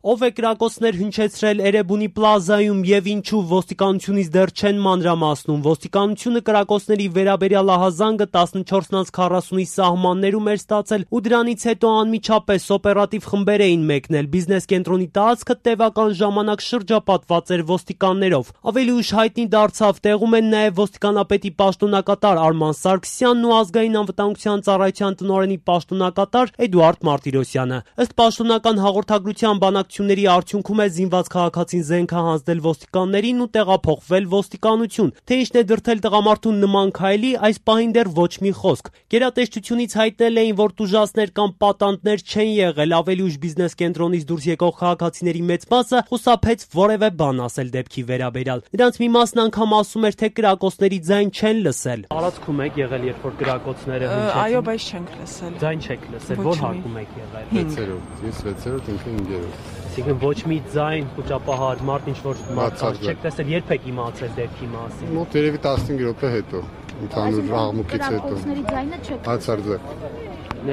Ով է կրակոցներ հնչեցրել Էրեբունի պլազայում եւ ինչու ոստիկանությունից դեռ չեն մանրամասնում։ Ոստիկանությունը կրակոցների վերաբերյալ ահազանգը 14:40-ի սահմաններում էր ստացել ու դրանից հետո անմիջապես օպերատիվ խմբեր էին մեկնել։ Բիզնես կենտրոնի տարածքը տևական ժամանակ շրջապատված էր ոստիկաններով։ Ավելի ուշ հայտնի դարձավ, տեղում են նաեւ ոստիկանապետի պաշտոնակատար Արման Սարգսյանն ու ազգային անվտանգության ծառայության տնօրենի պաշտոնակատար Էդուարդ Մարտիրոսյանը։ Ըստ պաշտոնական հաղորդագրության բանակցությունների արդյունքում է զինված քաղաքացին զենք հանձնել ոստիկաններին ու տեղափոխվել ոստիկանություն։ Թե ինչն է դրդել տղամարդուն նման քայլի, այս պահին դեռ ոչ մի խոսք։ Գերատեսչությունից հայտնել էին, որ տուժածներ կամ պատանդներ չեն եղել, ավելի ուշ բիզնես կենտրոնից դուրս եկող քաղաքացիների մեծ մասը խուսափեց որևէ բան ասել դեպքի վերաբերյալ։ Նրանց մի մասն անգամ ասում էր, թե կրակոցների ձայն չեն լսել։ Տարածքում եք եղել, երբ որ կրակոցները հնչեցին։ Այո, բայց չենք լսել։ Ձայն չեք լսել, որ հարկում եք եղել։ 6-րդ, ես 6-րդ, ինքը 5-րդ։ Այսինքն ոչ մի ձայն խոճապահար մարդ ինչ որ մարդկանց չեք տեսել, երբ եք իմացել դեպքի մասին։ Մոտ երևի 15 րոպե հետո, ընդհանուր աղմուկից հետո։ Կրակոցների ձայնը չեք Հացարձակ։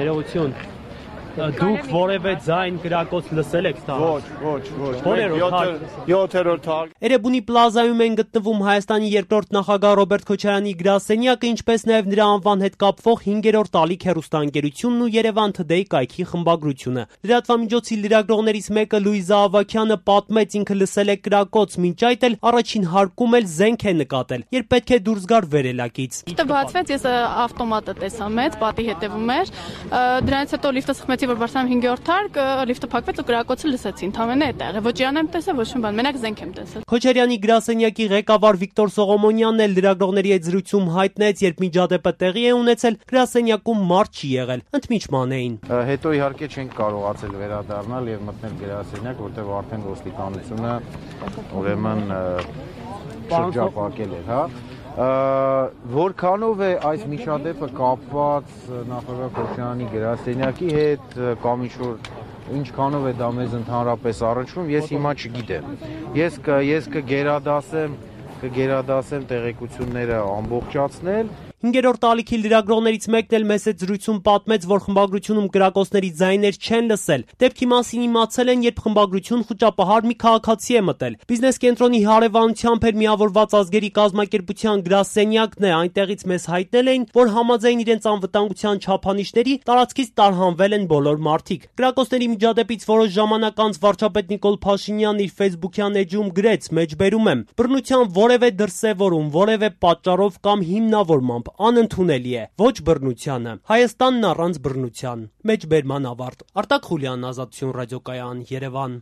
Ներողություն։ Դուք որևէ ձայն կրակոց լսել եք Ոչ։ 7-րդ թաղ։ Էրեբունի պլազայում են գտնվում Հայաստանի երկրորդ նախագահ Ռոբերտ Քոչարյանի գրասենյակը, ինչպես նաև նրա անվան հետ կապվող 5-րդ ալիք հեռուստաընկերությունն ու Երևան Today կայքի խմբագրությունը։ Լրատվամիջոցի լրագրողներից մեկը Լուիզա Ավագյանը պատմեց, ինքը լսել է կրակոց, մինչ այդ էլ առաջին հարկում էլ զենք է նկատել, երբ պետք է դուրս գար վերելակից։ Լիֆտը բացվեց, ես ավտոմատը տեսա մեծ, պատի հետևում էր։ Դրանից հետո լիֆտը սխմեցի, որ բարձրանում 5-րդ թարկ, լիֆտը փակվեց ու կրակոցը լսեցի, ընդամենը այդ է։ Ոչ իրան եմ տեսել, ոչ մի բան, մենակ զենք եմ տեսել։ Քոչարյանի գրասենյակի ղեկավար Վիկտոր Սողոմոնյանն էլ լրագրողների հետ զրույցում հայտնեց, երբ միջադեպը տեղի է ունեցել, գրասենյակում մարդ չի եղել, ընդմիջման էին։ Հետո իհարկե չենք կարողացել վերադառնալ եւ մտնել գրասենյակ, որտեղ արդեն ոստիկանությունը ուրեմն շրջապատել էր, հա։ Որքանով է այս միջադեպը կապված նախագահ Քոչարյանի գրասենյակի հետ կամ ինչքանով է դա մեզ ընդհանրապես առնչվում, ես հիմա չգիտեմ։ Ես կգերադասեմ տեղեկությունները ամբողջացնել։ 5-րդ ալիքի լրագրողներից մեկն էլ մեծ զրույցում պատմեց, որ խմբագրությունում կրակոցների ձայներ չեն լսել։ Դեպքի մասին իմացել են, երբ խմբագրություն խոճապահար մի քաղաքացի է մտել։ Բիզնես կենտրոնի հարևանությամբ էր միավորված ազգերի կազմակերպության գրասենյակն է, այնտեղից մեզ հայտնել էին, որ համաձայն իրենց անվտանգության չափանիշների տարածքից տարհանվել են բոլոր մարդիկ։ Կրակոցների միջադեպից որոշ ժամանակ անց վարչապետ Նիկոլ Փաշինյանն իր Facebook-յան էջում գրեց. «Մեջբերում եմ, բռնության որևէ դրսևորում, որևէ պատճառով կամ հիմնավորմամբ անընդունելի է, ոչ բռնությանը, Հայաստանն առանց բռնության»։ Մեջբերման ավարտ։ Արտակ Խուլյան, Ազատություն ռադիոկայան, Երևան։